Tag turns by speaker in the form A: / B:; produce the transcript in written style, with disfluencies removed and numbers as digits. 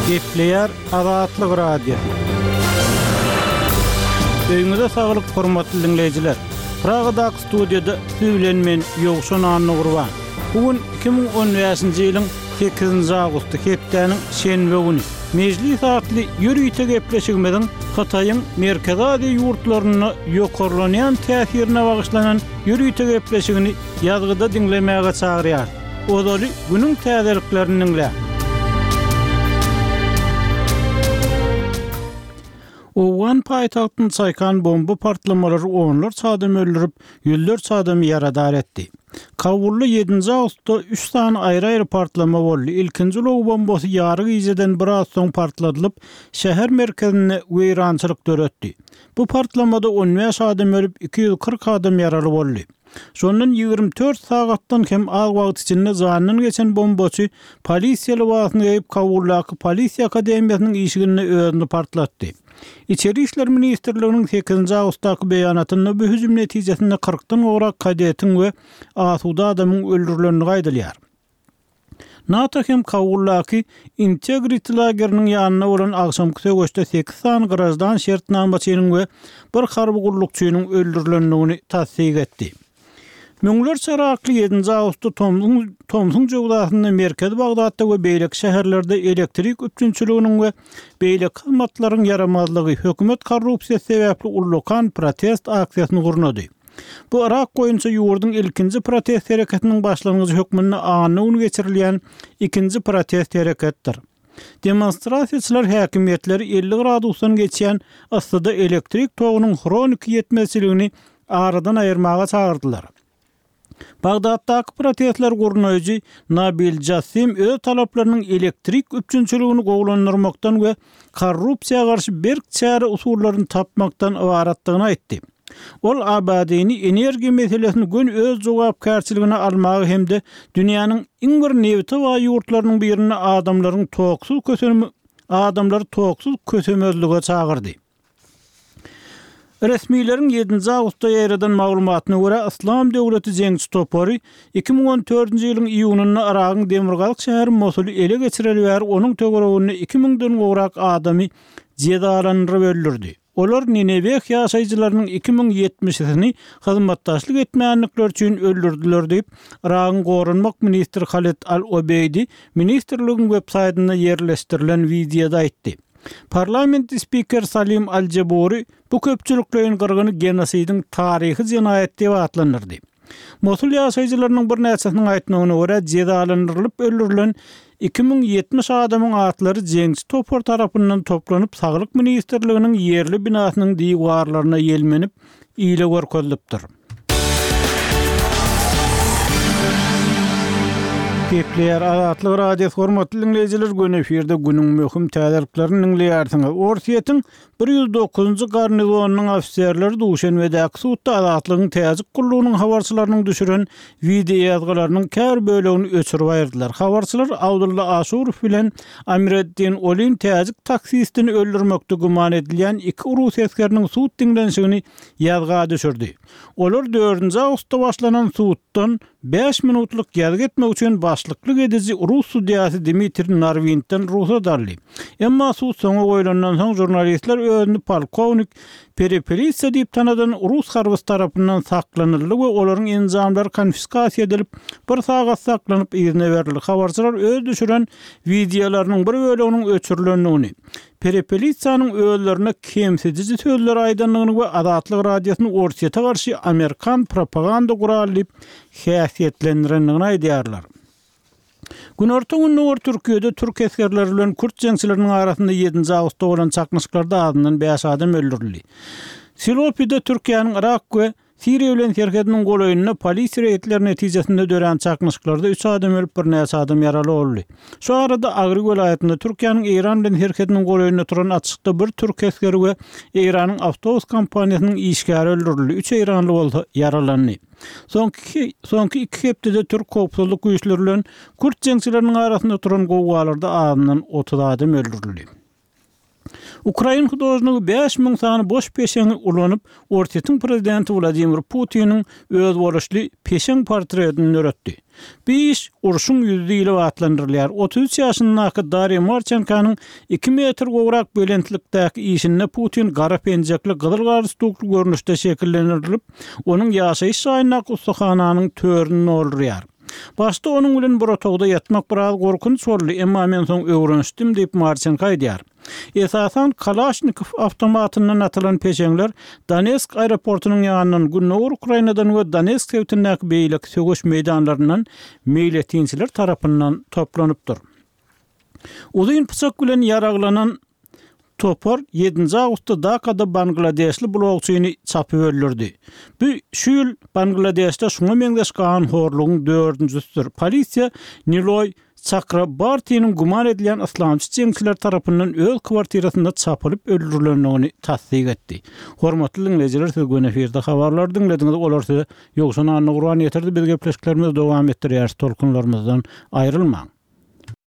A: Gepleýär Azatlyk Radiosy. Öýüňize saglyk hormatly diňleýjiler. Pragadaky studiýada siz bilen men Ýowşan Annagurban. Bu gün 2015-nji ýylyň 8-nji awgusty hepdäniň şenbe güni. Mejlis atly ýörite gepleşigimiziň Hytaýyň Merkezi Aziýa ýurtlarynda ýokarlanýan täsirine bagyşlanan ýörite gepleşigini ýazgyda diňlemäge çagyrýarys. Ozaly günüň täzeliklerini diňläň. Owgan paýtagtyny çaýkan bomba partlamalary onlarça adamy öldürip, ýüzlerçe adamy ýaradar etdi. Kabulda ýedinji awgustda üç sany aýry-aýry partlama boldy. Ilkinji ulag bombasy ýary gijeden biraz soň partladylyp, şäher merkezinde weýrançylyk döretdi. Bu partlamada 15 adam ölüp, 240 adam ýaraly boldy. Şondan 24 sagatdan hem az wagt içinde janyndan geçen bombaçy polisiýa lybasyny geýip, Kabuldaky polisiýa akademiýasynyň işiginde özüni partlatdy. Içeri işler ministrliginiň sekizinji awgustdaky beýanatynda bu hüjüm netijesinde kyrkdan gowrak kadetiň we asuda adamyň öldürilendigi aýdylýar. NATO hem Kabuldaky Integrity lageriniň ýanynda bolan agşamky söweşde sekiz sany graždan şertnamaçynyň we bir harby gullukçynyň öldürilendigini tassyk etdi. Müňlerçe yrakly ýedinji awgustda tomsuň tomsuň jöwzasynda merkezi Bagdatda we beýleki şäherlerde elektrik üpjünçiliginiň we beýleki hyzmatlaryň ýaramazlygy, hökümet korrupsiýasy sebäpli ullakan protest aksiýasyny gurnady. Bu Yrak boýunça ýurduň ilkinji protest hereketiniň başlangyjy hökmünde anna güni geçirilýän ikinji protest hereketdir. Demonstrasiýaçylar häkimiýetleri 50 gradusdan geçýän yssyda elektrik togunyň hroniki ýetmezçiligini aradan aýyrmaga çagyrdylar. Bagdatdaky protestleri gurnaýjy Nabil Jassim öz talaplarynyň elektrik üpjünçiligini gowulandyrmakdan we korrupsiýa garşy berk çäre usullaryny tapmakdan ybaratdygyny aýtdy. Ol Abadini energiýa meselesini göni öz jogapkärçiligine almaga hem-de dünýäniň iň bir nebite baý ýurtlarynyň birinde adamlaryň toksuz adamlary toksuz kösemezlige çagyrdy. Resmileriň ýedinji awgustda ýaýradan maglumatyna görä, Yslam döwleti jeňçi topary 2014-nji ýylyň iýunynda Yragyň demirgazyk şäheri Mosuly ele geçireli bäri onuň töwereginde iki müňden gowrak adamy jezalandyryp öldürdi. Olar Nineweh ýaşaýjylarynyň 2070-sini hyzmatdaşlyk etmändikleri üçin öldürdiler diýip, Yragyň goranmak ministri Haled al-Obeýdi ministrligiň websaýtynda ýerleşdirilen wideoda aýtdy. Parlament spikeri Salim al-Jeburi bu köpçülikleýin gyrgyny genosidiň taryhy jenaýaty diýip atlandyrdy. Mosul ýaşaýjylarynyň birnäçesiniň aýtmagyna görä, jezalandyrylyp öldürilen 2070 adamyň atlary jeňçi topar tarapyndan toplanyp, Saglyk ministrliginiň ýerli binasynyň diwarlaryna ýelmenip, ile görkezilipdir. Gepleýär Azatlyk Radiosy hormatly diňleýjiler göni efirde günüň möhüm täzeliklerini diňleýärsiňiz. Orsýetiň 109-njy garnizonynyň ofiserleri Duşenbedäki sudda Azatlygyň täjik gullugynyň habarçylarynyň düşüren wideoýazgylarynyň käbir bölegini öçürip aýyrdylar. Habarçylar Abdulla Aşurow bilen Amireddin Olin täjik taksistini öldürmekde güman edilýän iki rus esgeriniň sud diňlenişigini ýazga düşürdi. Olar dördünji awgustda başlanan suddan bäş minutlyk ýazgy etmek üçin başlyklyk ediji rus sudýasy Dmitriý Narwindden rugsat aldy. Emma sud soňa goýlandan soň žurnalistler özüni polkownik Perepelitsa diýip tanadan rus harbysy tarapyndan saklanyldy we olaryň enjamlary konfiskasiýa edilip, bir sagat saklanyp yzyna berildi. Habarçylar öz düşüren wideolarynyň bir böleginiň öçürilendigini, Perepelitsanyň özlerine kemsidiji sözleri aýdandygyny we Azatlyk Radiosyny Orsýete garşy amerikan propaganda guraly diýip häsiýetlendirendigini aýdýarlar. Günorta-gündogar Türkiýede türk esgerleri bilen kürt jeňçileriniň arasynda ýedinji awgustda bolan çaknyşyklarda azyndan bäş adam öldürildi. Silopide Türkiýäniň Yrak we Siriýa bilen serhediniň golaýynda polisiýa reýdleri netijesinde dörän çaknyşyklarda üç adam ölüp, birnäçe adam ýaraly boldy. Şu arada Agry welaýatynda Türkiýäniň Eýran bilen serhediniň golaýynda turan atyşykda bir türk esgeri we Eýranyň awtobus kompaniýasynyň işgäri öldürildi, üç eýranly bolsa ýaralandy. Soňky soňky iki hepdede türk howpsuzlyk güýçleri bilen kürt jeňçileriniň arasynda turan gowgalarda azyndan 30 adam öldürildi. Ukrain hudožnigi 5000 sany boş peşeňi ulanyp, Orsýetiň prezidenti Wladimir Putiniň özboluşly peşeň portretini döretdi. Bu iş Urşuň ýüzi diýlip atlandyrylýar. 33 ýaşyndaky Darýa Marçenkonyň iki metr gowrak belentlikdäki işinde Putin gara penjekli, gyzyl galstukly görnüşde şekillendirilip, onuň ýaşaýyş jaýyndaky ussahananyň törüni doldurýar. Başda onuň bilen bir otagda ýatmak biraz gorkunç boldy, emma men soň öwrenişdim diýip, Marçenko aýdýar. Esasan, Kalaşnikow awtomatyndan atylan peşeňler Donetsk aeroportunyň ýanyndan, gündogar Ukrainadan we Donetsk sebitindäki beýleki söweş meýdanlaryndan meýletinçiler tarapyndan toplanypdyr. Uzyn pyçak bilen ýaraglanan topar ýedinji awgustda Dakada bangladeşli blogçyny çapyp öldürdi. Bu şu ýyl Bangladeşde şuňa meňzeş ganhorlugyň dördünjisidir. Polisiýa Niloý Çakrabartiniň güman edilýän yslamçy jeňçiler tarapyndan öz kwartirasynda çapylyp öldürilendigini tassyk etdi. Hormatly diňleýjiler siz göni efirde habarlary diňlediňiz olar size Ýowşan Annagurban ýetirdi biz gepleşiklerimizi dowam etdirýäris tolkunlarymyzdan aýrylmaň.